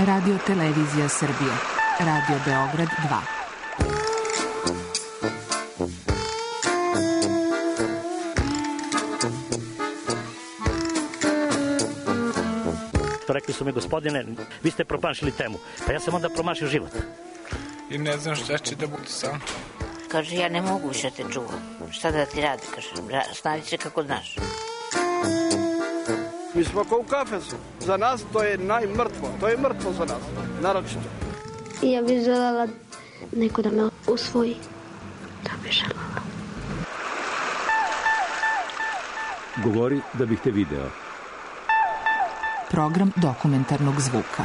Radio Televizija Srbije. Radio Beograd 2. Rekli su mi, gospodine, vi ste promašili temu. Pa ja sam onda promašio život. I ne znam šta će da bude sam. Kaže, ja ne mogu više te čuvam. Šta da ti radi, kaže, snađi se kako znaš. Mi smo kao u kafesu. Za nas to je najmrtvo. To je mrtvo za nas, naročito. Ja bih želela neko da me usvoji. Da bih želela. Govori da bih te video. Program dokumentarnog zvuka.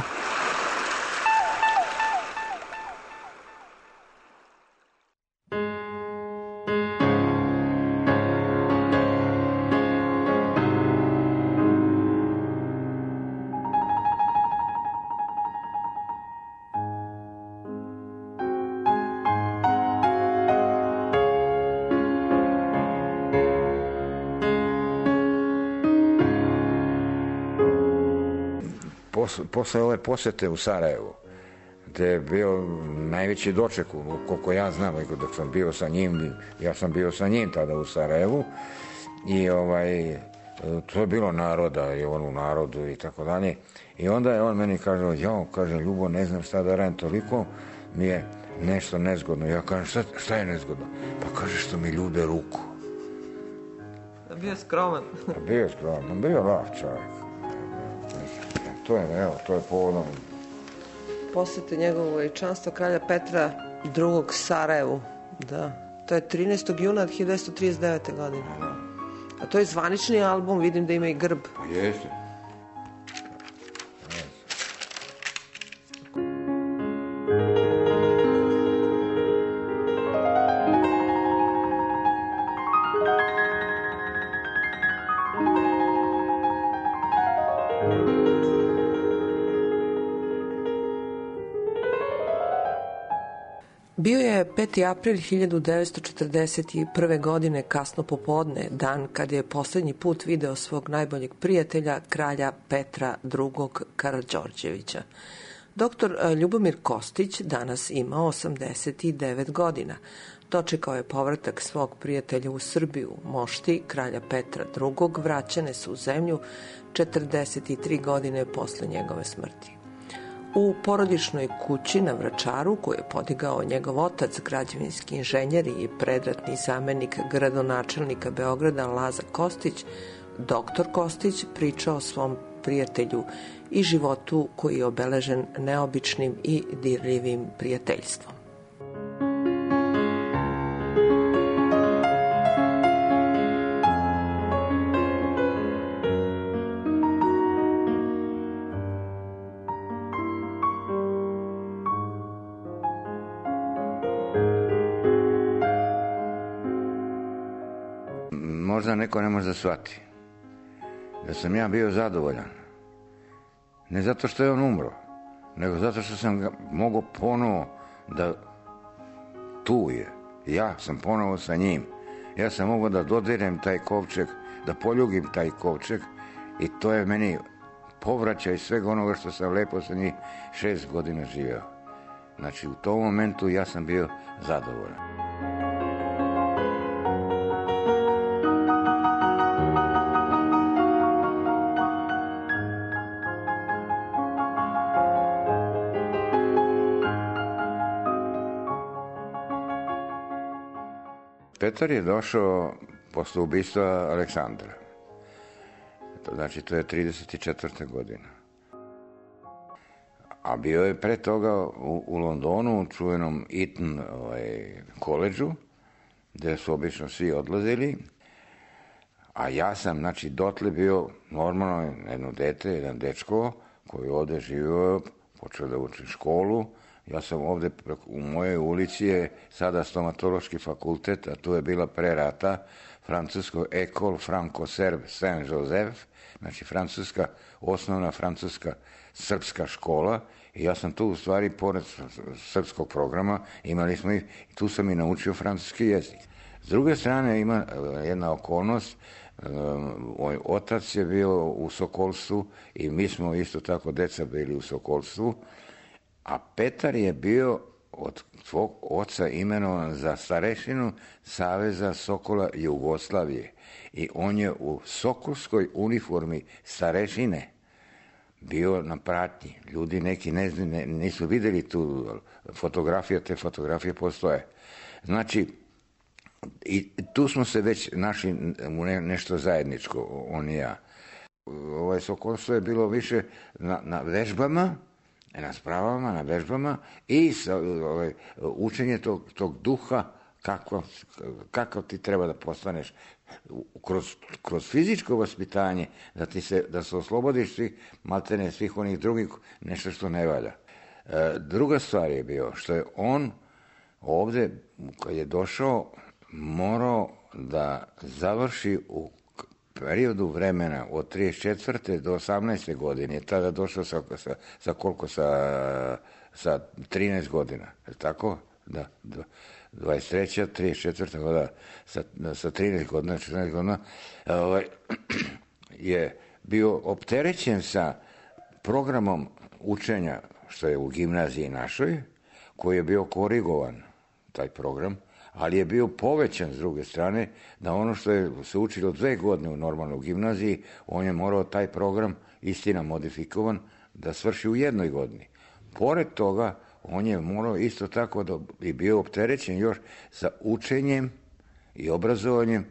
Posle ove posete u Sarajevu, gde je bio najveći doček, koliko ja znam, dok sam bio sa njim, ja sam bio sa njim tada u Sarajevu i to je bilo naroda i on u narodu i tako dalje. I onda je on meni kaže, Ljubo, ne znam šta da radim, toliko mi je nešto nezgodno. Ja kažem, šta je nezgodno? Pa kaže, što mi ljube ruku. Bio je skroman. Bio je skroman, bio je lav čovjek. To je povodom Posete njegovo veličanstvo kralja Petra II. Sarajevu. Da. To je 13. juna 1939. godine. A to je zvanični album, vidim da ima i grb. Pa jeste. Bio je 5. april 1941. godine, kasno popodne, dan kad je poslednji put video svog najboljeg prijatelja, kralja Petra II. Karađorđevića. Doktor Ljubomir Kostić danas ima 89 godina. Dočekao je povratak svog prijatelja u Srbiju. Mošti kralja Petra II. Vraćane su u zemlju 43 godine posle njegove smrti. U porodičnoj kući na Vračaru, koju je podigao njegov otac, građevinski inženjer i predratni zamenik gradonačelnika Beograda Laza Kostić, doktor Kostić priča o svom prijatelju i životu koji je obeležen neobičnim i dirljivim prijateljstvom. Možda neko ne može da shvati da sam ja bio zadovoljan. Ne zato što je on umro, nego zato što sam ga mogao ponovo da tu je. Ja sam ponovo sa njim. Ja sam mogao da dodirem taj kovčeg, da poljubim taj kovčeg i to je meni povraćaj svega onoga što sam lepo sa njih 6 godina živeo. Znači u tom momentu ja sam bio zadovoljan. Petar je došao posle ubistva Aleksandra. Znači, to je 34. godina. A bio je pre toga u Londonu, u čuvenom Eton koledžu, gde su obično svi odlazili. A ja sam, znači, dotle bio normalno jedno dete, jedan dečko, koji ovde živio, počeo da uči školu. Ja sam ovde, u mojoj ulici je sada stomatološki fakultet, a tu je bila pre rata francusko École Franco-Serbe Saint-Joseph, znači osnovna francuska srpska škola, i ja sam tu u stvari, pored srpskog programa, imali smo i tu sam i naučio francuski jezik. S druge strane ima jedna okolnost Moj otac je bio u Sokolstvu i mi smo isto tako deca bili u Sokolstvu, a Petar je bio od svog oca imenovan za starešinu Saveza Sokola Jugoslavije i on je u sokolskoj uniformi starešine bio na pratnji. Ljudi neki nisu vidjeli tu fotografiju, te fotografije postoje. Znači, i tu smo se već našli u nešto zajedničko, on i ja. Sokolstvo je bilo više na vežbama, na spravama, na vežbama i učenje tog duha kako ti treba da postaneš kroz fizičko vaspitanje, da se oslobodiš maltene svih onih drugih, nešto što ne valja. Druga stvar je bio što je on ovde, kad je došao, morao da završi u periodu vremena od 34. do 18. godine. Je tada došao sa koliko? Sa 13 godina. Je tako? Da. 23. 34. godina. Sa 13 godina, 14 godina je bio opterećen sa programom učenja što je u gimnaziji našoj, koji je bio korigovan, taj program, ali je bio povećan s druge strane, da ono što je se učilo 2 godine u normalnoj gimnaziji, on je morao taj program, istina modifikovan, da svrši u 1 godini. Pored toga, on je morao isto tako da je bio opterećen još sa učenjem i obrazovanjem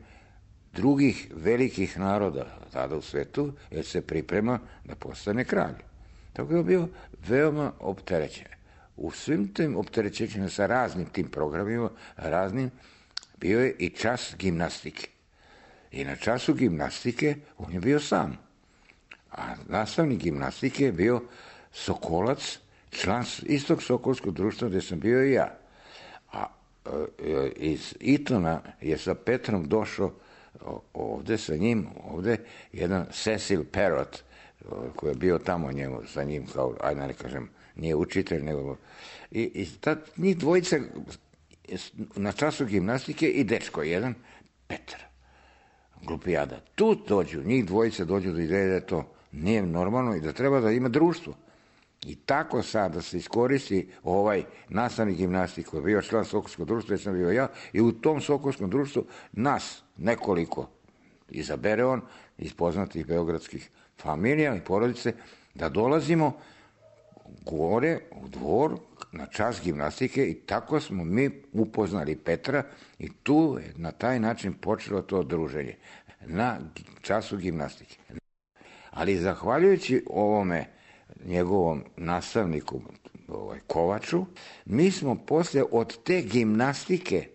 drugih velikih naroda tada u svetu, jer se priprema da postane kralj. Tako je bio veoma opterećen. U svim tim opterećenjima sa raznim tim programima, bio je i čas gimnastike. I na času gimnastike on je bio sam. A nastavnik gimnastike je bio Sokolac, član istog Sokolskog društva gde sam bio i ja. A iz Itona je sa Petrom došao ovde sa njim, jedan Cecil Perrott, koji je bio tamo njemu, sa njim, kao, ajde ne kažem, nije učitelj, nego... I njih dvojica na času gimnastike i dečko jedan, Petar, glupijada. Tu dođu, njih dvojica dođu do ideje da to nije normalno i da treba da ima društvo. I tako sad da se iskoristi ovaj nastavnik gimnastike koji je bio član Sokolskog društva, jer sam bio ja, i u tom Sokolskom društvu nas nekoliko izabere on iz poznatih beogradskih familija i porodice, da dolazimo gore u dvor na čas gimnastike i tako smo mi upoznali Petra i tu je na taj način počelo to druženje na času gimnastike. Ali zahvaljujući ovome njegovom nastavniku Kovaču, mi smo posle od te gimnastike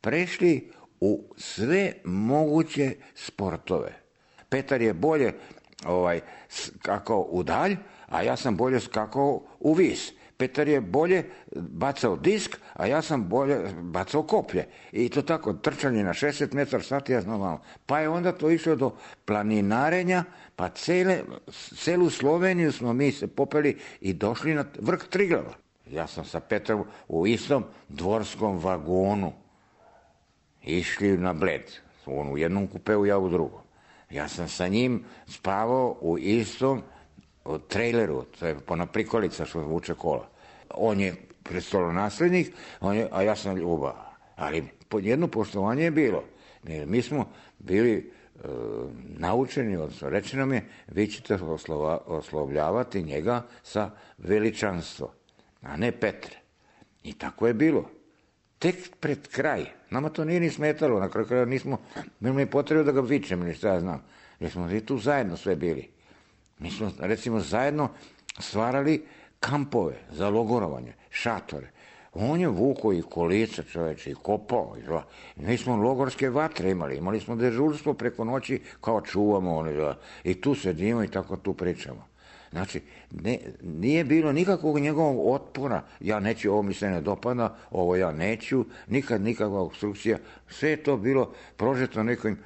prešli u sve moguće sportove. Petar je bolje skakao u dalj, a ja sam bolje skakao u vis. Petar je bolje bacao disk, a ja sam bolje bacao koplje. I to tako, trčanje na 60 metara sati, ja znam malo. Pa je onda to išlo do planinarenja, pa celu Sloveniju smo mi se popeli i došli na vrh Triglava. Ja sam sa Petrom u istom dvorskom vagonu išli na Bled. On u jednom kupeu, ja u drugom. Ja sam sa njim spavao u istom traileru, to je ona prikolica što vuče kola. On je prestolonaslednik, a ja sam ljubav. Ali jedno poštovanje je bilo. Mi smo bili naučeni, odnosno rečeno mi je, vi ćete oslovljavati njega sa veličanstvo, a ne Petre. I tako je bilo. Tek pred kraj. Nama to nije ni smetalo. Na kraju kraja nismo imali potrebu da ga vičemo, ili šta ja znam. Jer smo i tu zajedno sve bili. Mi smo, recimo, zajedno stvarali kampove za logorovanje, šatore. On je vukao i kolica, čoveče, i kopao. Mi smo logorske vatre imali smo dežurstvo preko noći, kao čuvamo. I tu sedimo i tako tu pričamo. Znači, nije bilo nikakvog njegovog otpora. Ja neću, ovo mi se ne dopada, ovo ja neću, nikakva obstrukcija. Sve je to bilo prožeto nekim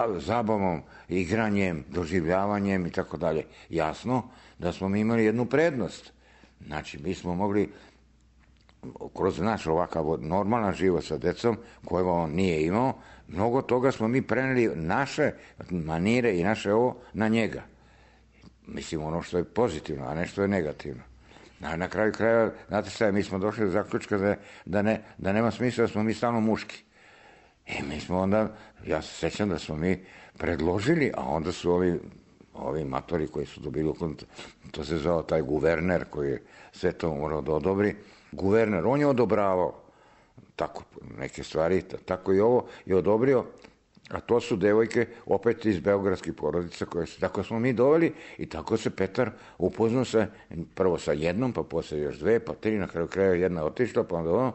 zabavom, igranjem, doživljavanjem i tako dalje. Jasno da smo mi imali jednu prednost. Znači, mi smo mogli kroz naš ovakav normalan život sa decom, kojega on nije imao, mnogo toga smo mi preneli naše manire i naše ovo na njega. Mislim, ono što je pozitivno, a ne što je negativno. Na kraju kraja, znate šta je, mi smo došli do zaključka da nema smisla da smo mi stalno muški. I mi smo onda, ja se sećam da smo mi predložili, a onda su ovi matori koji su dobili, to se zvao taj guverner koji je sve to morao da odobri. Guverner, on je odobravao tako neke stvari, tako i ovo je odobrio, a to su devojke opet iz beogradskih porodica koje su, tako smo mi doveli i tako se Petar upoznao se prvo sa jednom, pa posle još dve, pa tri, na kraju kraja jedna otišla, pa onda ono,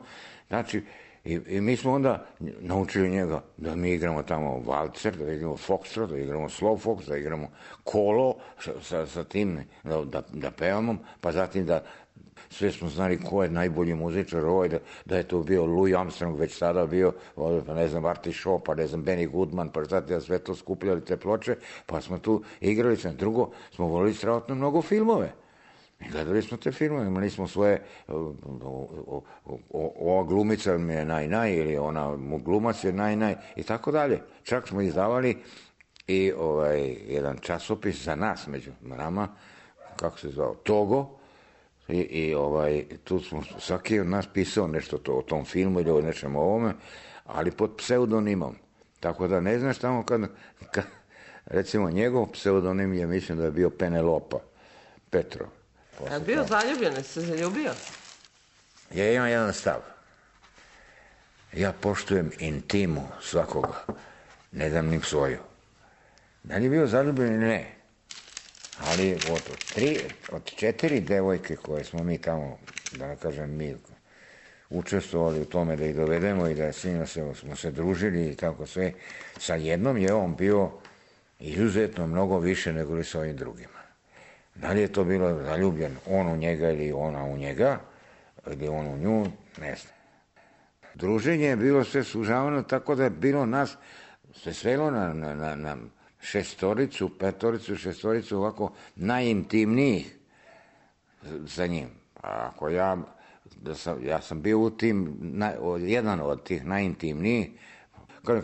znači, i mi smo onda naučili njega da mi igramo tamo valcer, da igramo foxtrot, da igramo slow fox, da igramo kolo sa tim, da pevamo, pa zatim da sve smo znali ko je najbolji muzičar, da je to bio Louis Armstrong, već tada bio, pa ne znam, Artie Shaw, pa ne znam, Benny Goodman, pa zatim sve to skupljali te ploče, pa smo tu igrali. Drugo, smo volili strašno mnogo filmove. I gledali smo te filmove, imali smo svoje, ova glumica mi je naj, ili ona glumac je naj, i tako dalje. Čak smo izdavali i jedan časopis za nas, među nama, kako se zvao, Togo, i tu smo, svaki od nas pisao nešto o tom filmu ili o nečem ovome, ali pod pseudonimom. Tako da ne znaš tamo kad recimo njegov pseudonim je, mislim da je bio Penelopa Petrov. A bio zaljubljen, se zaljubio? Ja imam jedan stav. Ja poštujem intimu svakoga, ne dam nim svoju. Da li je bio zaljubljen ili ne? Ali od 4 devojke koje smo mi tamo, da ne kažem mi, učestvovali u tome da ih dovedemo i da s njima smo se družili i tako sve, sa jednom je on bio izuzetno mnogo više nego li sa ovim drugima. Da li je to bilo zaljubljen on u njega ili ona u njega, ili on u nju, ne znam. Druženje je bilo sve sužavano, tako da je bilo nas, se svelo na šestoricu, ovako najintimnijih sa njim. A ako ja sam bio u tim, jedan od tih najintimnijih,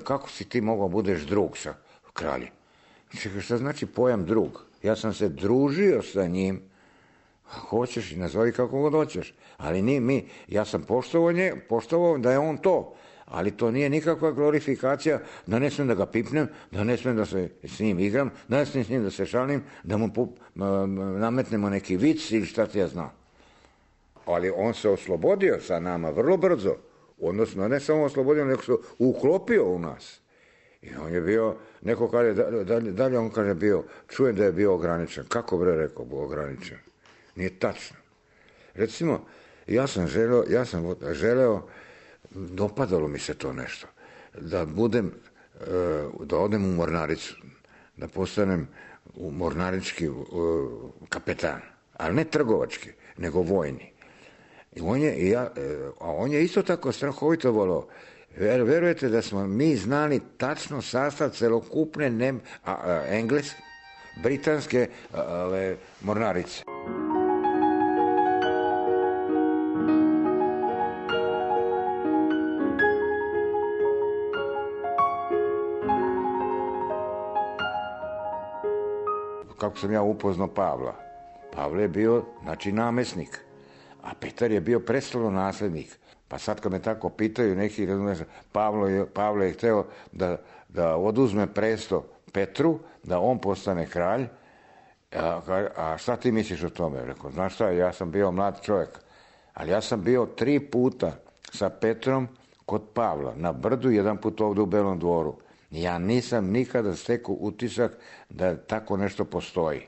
kako si ti mogao budeš drug sa kraljem? Čekaj, šta znači pojam drug? Ja sam se družio sa njim, hoćeš i nazovi kako god hoćeš, ali ja sam poštovao da je on to, ali to nije nikakva glorifikacija, da ne smijem da ga pipnem, da ne smijem da se s njim igram, da ne smijem s njim da se šalim, da mu nametnemo neki vic ili šta ti ja znam. Ali on se oslobodio sa nama vrlo brzo, odnosno ne samo oslobodio, nego se uklopio u nas. I on je bio, neko kaže, dalje on kaže bio, čujem da je bio ograničen. Kako bre rekao, ograničen? Nije tačno. Recimo, ja sam želeo, dopadalo mi se to nešto, da odem u mornaricu, da postanem mornarički kapetan, ali ne trgovački, nego vojni. A on je isto tako strahovito volao. Verujete da smo mi znali tačno sastav celokupne engleske, britanske mornarice. Kako sam ja upoznao Pavla? Pavle je bio, znači, namesnik, a Petar je bio prestolonaslednik. Pa sad kad me tako pitaju neki, Pavle je hteo da oduzme presto Petru, da on postane kralj, a šta ti misliš o tome? Rekao, znaš šta, ja sam bio mlad čovjek, ali ja sam bio 3 puta sa Petrom kod Pavla, na Brdu, 1 put ovdje u Belom dvoru. Ja nisam nikada stekao utisak da tako nešto postoji.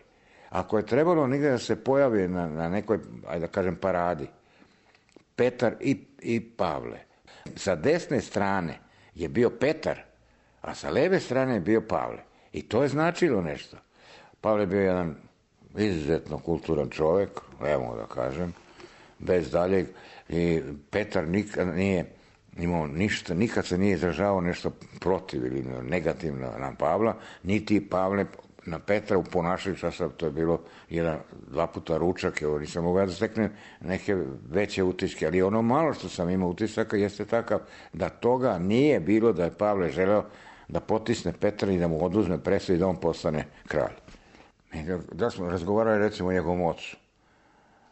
Ako je trebalo nigde da se pojavi na nekoj, ajde da kažem, paradi, Petar i Pavle. Sa desne strane je bio Petar, a sa leve strane je bio Pavle. I to je značilo nešto. Pavle je bio jedan izuzetno kulturan čovjek, evo da kažem, bez daljeg. I Petar nikad nije imao ništa, nikad se nije izražavao nešto protiv ili negativno na Pavla, niti Pavle na Petra u ponašanju, to je bilo 2 puta ručak, evo nisam mogao da steknem neke veće utiske, ali ono malo što sam imao utisaka jeste takav da toga nije bilo da je Pavle želeo da potisne Petra i da mu oduzme presto i da on postane kralj. Da smo razgovarali recimo o njegovom ocu,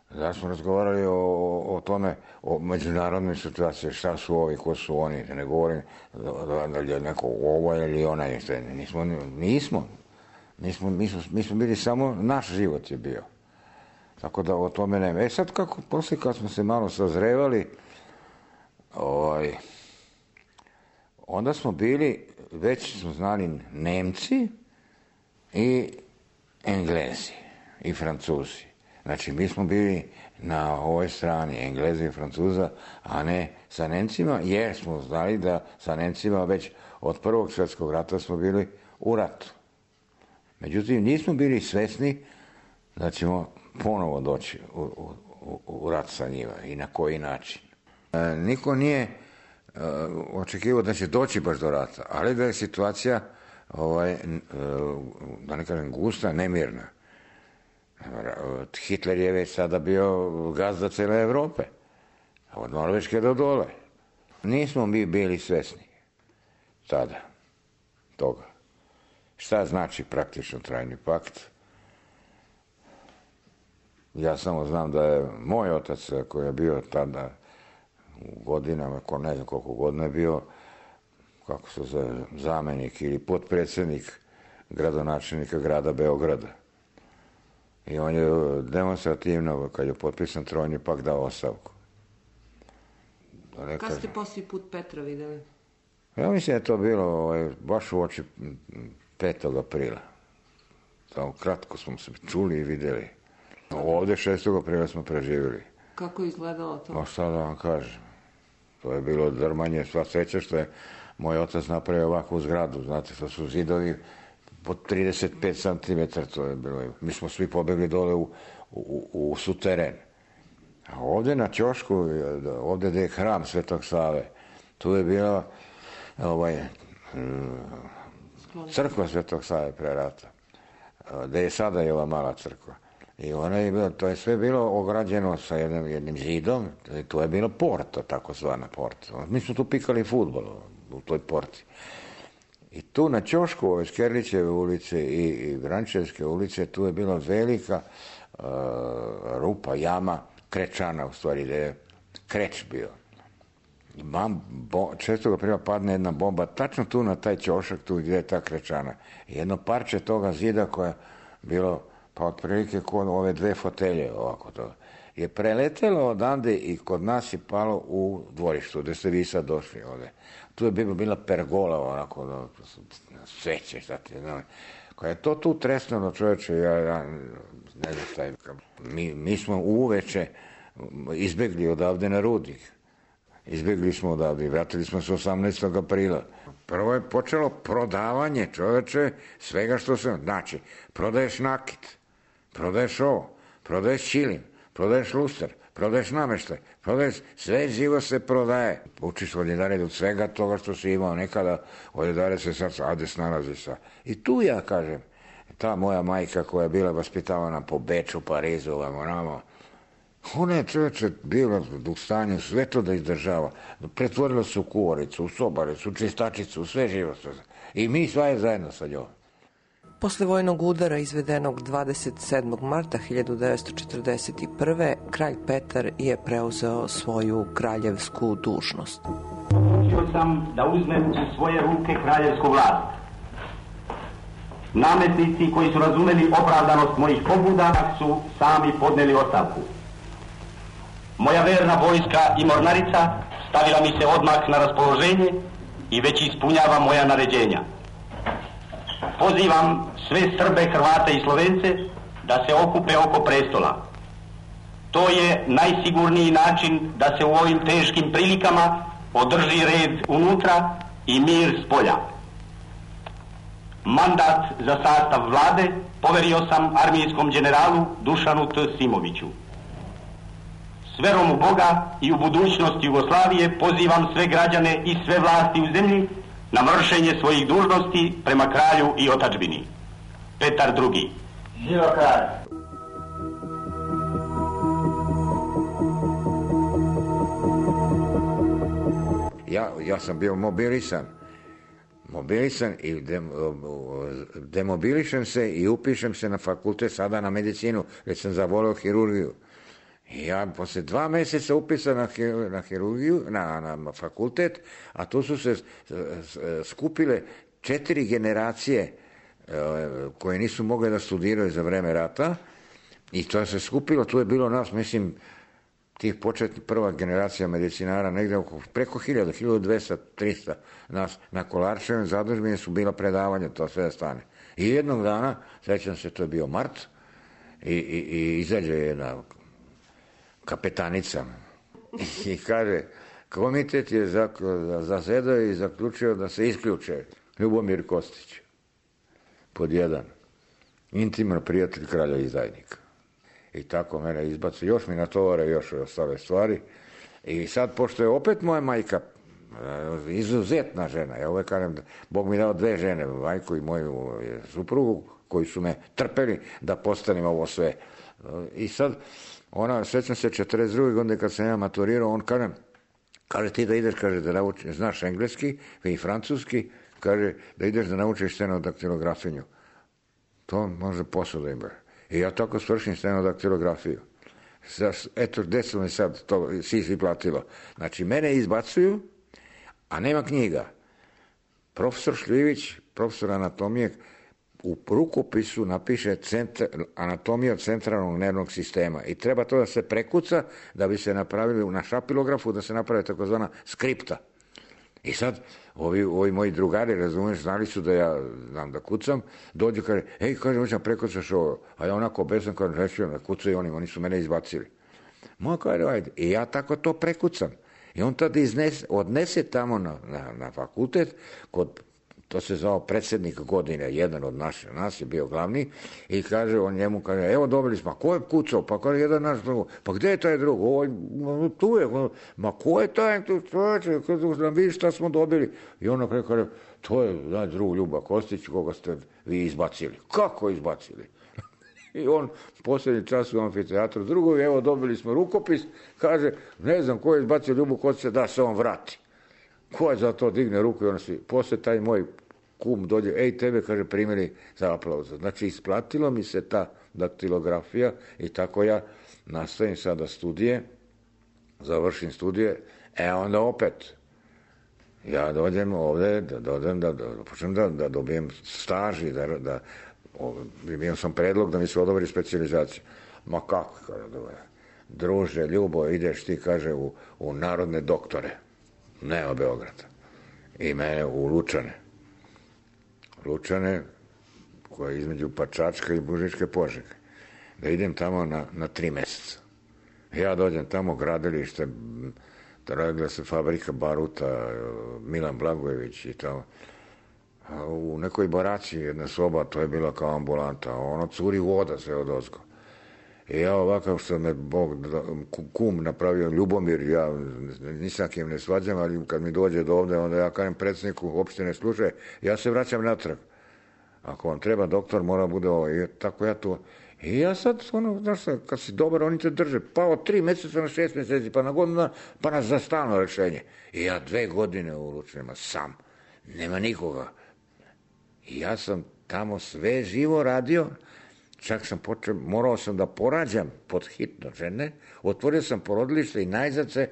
da smo razgovarali o tome, o međunarodnoj situaciji, šta su ovi, ko su oni, da ne govorim da je neko ovo ili onaj, mi smo bili samo, naš život je bio. Tako da o tome nema. Sad kako, poslije kad smo se malo sazrevali, onda smo bili, već smo znali Nemci i Englezi i Francuzi. Znači, mi smo bili na ovoj strani Engleza i Francuza, a ne sa Nemcima, jer smo znali da sa Nemcima već od Prvog svjetskog rata smo bili u ratu. Međutim, nismo bili svesni da ćemo ponovo doći u rat sa njima i na koji način. Niko nije očekivao da će doći baš do rata, ali da je situacija, da ne kažem gusta, nemirna. Hitler je već sada bio gazda cele Evrope, od Norveške do dole. Nismo mi bili svesni tada toga. Šta znači praktično trajni pakt? Ja samo znam da je moj otac, koji je bio tada u godinama, ne znam koliko godina je bio, kako se zove, zamenik ili potpredsjednik gradonačelnika grada Beograda. I on je demonstrativno, kad je potpisan trojni pakt, dao ostavku. Kad ste posljednji put Petra videli? Ja mislim da je to bilo baš u oči 5. aprila. Samo kratko smo se čuli i videli. Ovdje 6. aprila smo preživjeli. Kako je izgledalo to? No šta da vam kažem. To je bilo drmanje, sva sreća što je moj otac napravio ovakvu zgradu. Znate, to su zidovi pod 35 cm, to je bilo. Mi smo svi pobegli dole u suteren. A ovdje na ćošku, ovdje gdje je hram Svetog Save, tu je bila crkva Svetog Save pre rata, gdje je sada i ova mala crkva. I ona je bila, to je sve bilo ograđeno sa jednim zidom, to je bilo porta, takozvana porta. Mi smo tu pikali fudbal u toj porti. I tu na ćošku ove Skerlićeve ulice i Vrančevske ulice, tu je bila velika rupa, jama, krečana u stvari, gdje je kreć bio. 6. aprila padne jedna bomba, tačno tu na taj ćošak, tu gdje je ta krečana. Jedno parče toga zida koje je bilo, pa otprilike kod ove 2 fotelje, ovako to, je preletelo odande i kod nas je palo u dvorištu, gdje ste vi sad došli ovdje. Tu je bila pergola, onako, sveće, šta ti znam. Koja je to tu tresnulo, čovječe, ja ne znam šta je. Mi smo uveče izbjegli odavde na Rudnik. Izbjegli smo odavde i vratili smo se 18. aprila. Prvo je počelo prodavanje, čovječe, svega što se... Znači, prodaješ nakit, prodaješ ovo, prodaješ ćilim, prodaješ luster, prodaješ nameštaj, prodaješ... Sve živo se prodaje. Učiš odjedare od svega toga što si imao nekada, odjedare se sad Ades nalazi sa... I tu ja kažem, ta moja majka koja je bila vaspitavana po Beču, Parizu, ovamo, ona je čovječe bila u stanju sve to da izdržava. Pretvorila se u kuvaricu, u sobaricu, u čistačicu, u sve živo. I mi sva zajedno sa njom. Posle vojnog udara izvedenog 27. marta 1941. kralj Petar je preuzeo svoju kraljevsku dužnost. Odlučio sam da uzmem u svoje ruke kraljevsku vlast. Nametnici koji su razumeli opravdanost mojih pobuda su sami podneli ostavku. Moja verna vojska i mornarica stavila mi se odmah na raspoloženje i već ispunjava moja naređenja. Pozivam sve Srbe, Hrvate i Slovence da se okupe oko prestola. To je najsigurniji način da se u ovim teškim prilikama održi red unutra i mir s polja. Mandat za sastav vlade poverio sam armijskom generalu Dušanu T. Simoviću. S verom u Boga i u budućnost Jugoslavije pozivam sve građane i sve vlasti u zemlji na vršenje svojih dužnosti prema kralju i otadžbini. Petar II. Živo kralj! Ja sam bio mobilisan i demobilišem se i upišem se na fakultet, sada na medicinu, jer sam zavoleo hirurgiju. I ja posle 2 meseca upisan na hirurgiju, na fakultet, a tu su se skupile 4 generacije koje nisu mogle da studiraju za vreme rata i to se skupilo, tu je bilo nas, mislim, tih početnih prva generacija medicinara, negde preko 1000, 1200, 300 nas na Kolarčevim zadužbini su bila predavanja, to sve da stane. I jednog dana, sećam se, to je bio mart, i izađe jedna kapetanica i kaže, komitet je zasedao i zaključio da se isključe Ljubomir Kostić, pod 1, intiman prijatelj kralja izdajnika. I tako mene izbacu, još mi natovare još ostale stvari. I sad, pošto je opet moja majka izuzetna žena, ja uvek kažem, Bog mi dao 2 žene, majku i moju suprugu, koji su me trpeli da postanem ovo sve. I sad, ona, sećam se, 42. godine kad sam ja maturirao, on kaže ti da ideš, kaže, da naučiš, znaš engleski i francuski, kaže da ideš da naučiš stenodaktilografinju. To može posao da ima. I ja tako svršim stenodaktilografiju. Eto, gde su mi sad to sisi platilo. Znači, mene izbacuju, a nema knjiga. Profesor Šljivić, profesor anatomije, u rukopisu napiše anatomija centralnog nervnog sistema i treba to da se prekuca da bi se napravili na šapilografu, da se napravi takozvana skripta. I sad, ovi moji drugari, razumiješ, znali su da ja znam da kucam, dođu, kaže, kaže, hoćem prekucaš ovo, a ja onako besan, kaže, rečio, ne kucaju oni su mene izbacili. Moja kaže, ajde, i ja tako to prekucam. I on tada odnese tamo na fakultet, to se zvao predsjednik godine, jedan od nas je bio glavni, i kaže, on njemu kaže, evo dobili smo, a ko je kucao? Pa kaže, jedan naš drugo, pa gde je taj drugo? Tu je, ma ko je taj, da vidiš šta smo dobili? I on kaže, to je naš drug Ljuba Kostić, koga ste vi izbacili. Kako izbacili? I on posljednji čas u amfiteatru drugovi, evo dobili smo rukopis, kaže, ne znam ko je izbacio Ljubu Kostića, da se on vrati. Ko je za to digne ruku i ono svi. Posle taj moj kum dođe, tebe, kaže, primili za aplauza. Znači, isplatilo mi se ta daktilografija i tako ja nastavim sada studije, završim studije, onda opet, ja dođem ovde, da počnem da dobijem staž i da imam sam predlog da mi se odobri specijalizacija. Ma kako, kaže, druže, Ljubo, ideš ti, kaže, u narodne doktore. Ne u Beograda. I mene u Lučane. Lučane, koja je između Pačačka i Bužičke Požege. Da idem tamo na 3 meseca. Ja dođem tamo, gradilište, radila se fabrika baruta, Milan Blagojević i tamo. U nekoj baraci jedna soba, to je bila kao ambulanta, ono curi voda sve od ozgo. I ja ovakav što me kum napravio Ljubomir, ja nisam kim ne svađam, ali kad mi dođe do ovde, onda ja kažem predsjedniku opštine, slušaj, ja se vraćam natrag. Ako vam treba doktor, mora bude ovo. I tako ja to... I ja sad, znaš, kad si dobar, oni te drže. Pa od 3 meseca na 6 meseci, pa na godinu, pa na za stalno rešenje. I ja 2 godine u Lučanima sam. Nema nikoga. I ja sam tamo sve živo radio. Čak sam morao sam da porađam pod hitno žene, otvorio sam porodilište i najzad se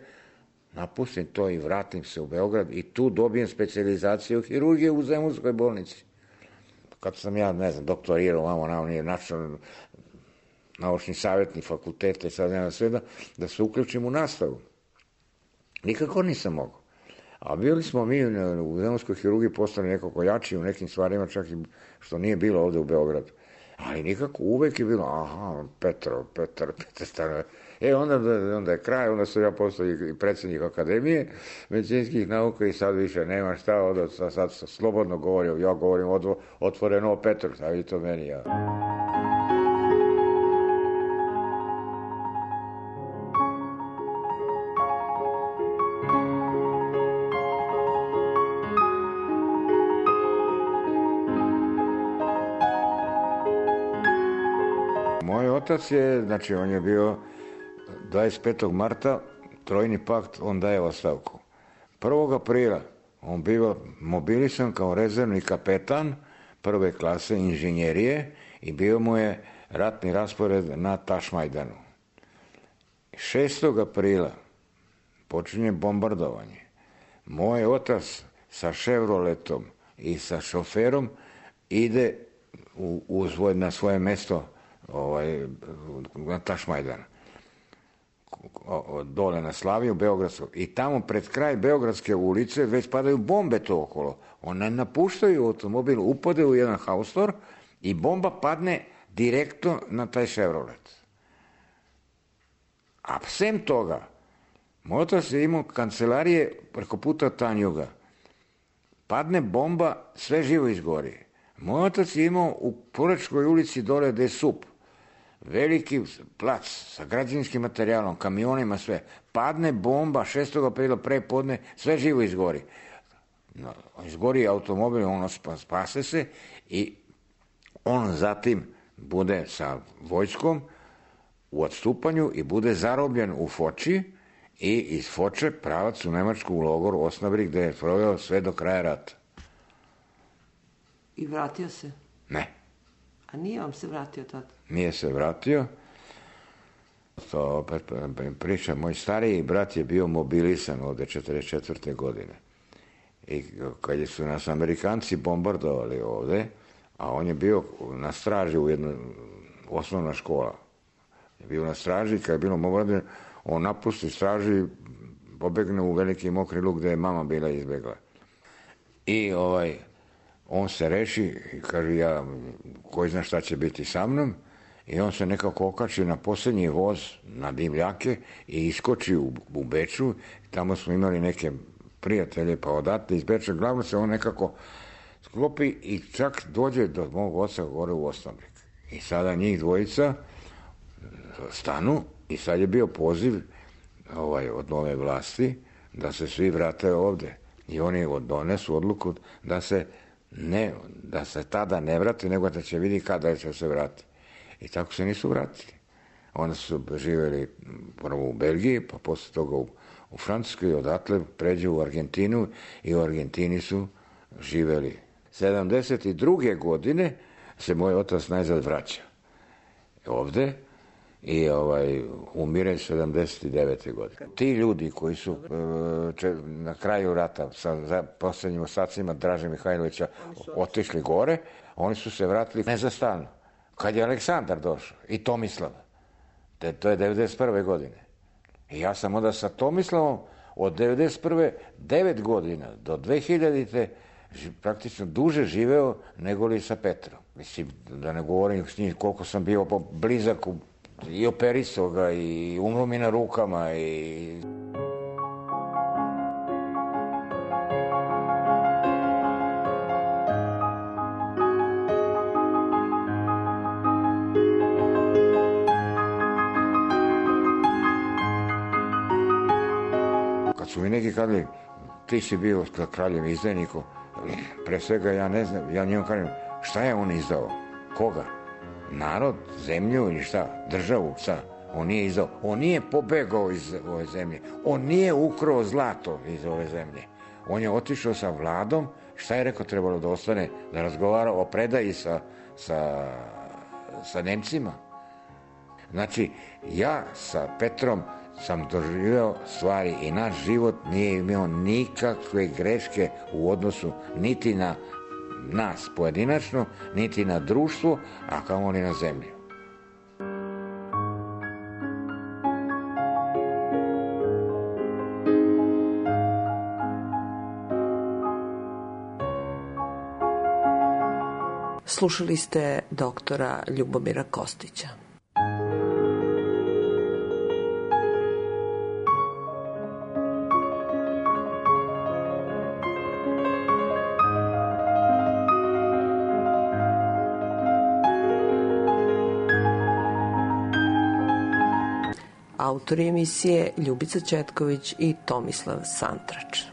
napustim to i vratim se u Beograd i tu dobijem specijalizaciju hirurgije u Zemunskoj bolnici. Kad sam ja, ne znam, doktorirao, vamo nije naučni savjetnik fakulteta i sad nema sve da se uključim u nastavu. Nikako nisam mogao. A bili smo mi u Zemunskoj hirurgiji postali nekako jači u nekim stvarima, čak i što nije bilo ovde u Beogradu. Ali nikako, uvek je bilo, Petar, onda je kraj, onda sam ja postao i predsjednik Akademije medicinskih nauka i sad više nema šta, sad slobodno govorim, ja govorim otvoreno o Petru, sad vidite meni, ja. Moj otac je, znači on je bio 25. marta, Trojni pakt, on daje ostavku. 1. aprila on bio mobilisan kao rezervni kapetan prve klase inženjerije i bio mu je ratni raspored na Tašmajdanu. 6. aprila počinje bombardovanje. Moj otac sa Chevroletom i sa šoferom ide na svoje mesto na Tašmajdan, dole na Slaviju, Beogradskog. I tamo pred kraj Beogradske ulice već padaju bombe to okolo. One napuštaju automobil, upade u jedan haustor i bomba padne direktno na taj Chevrolet. A sem toga, moj otac je imao kancelarije preko puta Tanjuga. Padne bomba, sve živo izgori. Moj otac je imao u Porečkoj ulici dole gde je SUP, veliki plac sa građevinskim materijalom, kamionima, sve. Padne bomba 6. aprila prepodne, sve živo izgori. Izgori automobil, ono spase se i on zatim bude sa vojskom u odstupanju i bude zarobljen u Foči i iz Foče pravac u Nemačku u logor Osnabrück gde je proveo sve do kraja rata. I vratio se? Ne. A nije vam se vratio tad? Nije se vratio. To opet priča, moj stariji brat je bio mobilisan ovde 44. godine. I kad su nas Amerikanci bombardovali ovde, a on je bio na straži u jednoj osnovna škola. Je bio na straži, kad je bilo bombardovanje, on napusti straži, pobegne u veliki mokri luk gde je mama bila izbegla. I on se reši i kaže, koji zna šta će biti sa mnom, i on se nekako okači na posljednji voz na dimljake i iskoči u Beču. Tamo smo imali neke prijatelje, pa odatle iz Beča, glavno se on nekako sklopi i čak dođe do mog oca gore u Osnabrück. I sada njih dvojica stanu i sad je bio poziv od nove vlasti da se svi vrate ovde. I oni donesu odluku da se tada ne vrati, nego da će vidi kada će se vrati. I tako se nisu vratili. Onda su živjeli prvo u Belgiji, pa posle toga u Francuskoj, odatle pređe u Argentinu i u Argentini su živjeli. 72. godine se moj otac najzad vraća ovde i umire 79. godine. Ti ljudi koji su na kraju rata sa poslednjim ostacima Draže Mihajlovića otišli gore, oni su se vratili ne za stalno. Kad je Aleksandar došao i Tomislav, to je 91. godine. I ja sam onda sa Tomislavom od 91. 9 godina do 2000. praktično duže živeo nego li sa Petrom. Mislim, da ne govorim s njim koliko sam bio blizak i operisao ga i umro mi na rukama i... Kad su mi neki kadali, ti si bio kraljem izdajnikom, pre svega ja ne znam, ja njemu kažem, šta je on izdao? Koga? Narod, zemlju ili šta? Državu, šta? On nije izdao. On nije pobegao iz ove zemlje. On nije ukrao zlato iz ove zemlje. On je otišao sa vladom. Šta je rekao trebalo da ostane? Da razgovara o predaji sa Nemcima. Znači, ja sa Petrom sam doživio stvari i naš život nije imao nikakve greške u odnosu niti na nas pojedinačno, niti na društvo, a kamoli na zemlju. Slušali ste doktora Ljubomira Kostića. Autori emisije Ljubica Ćetković i Tomislav Santrač.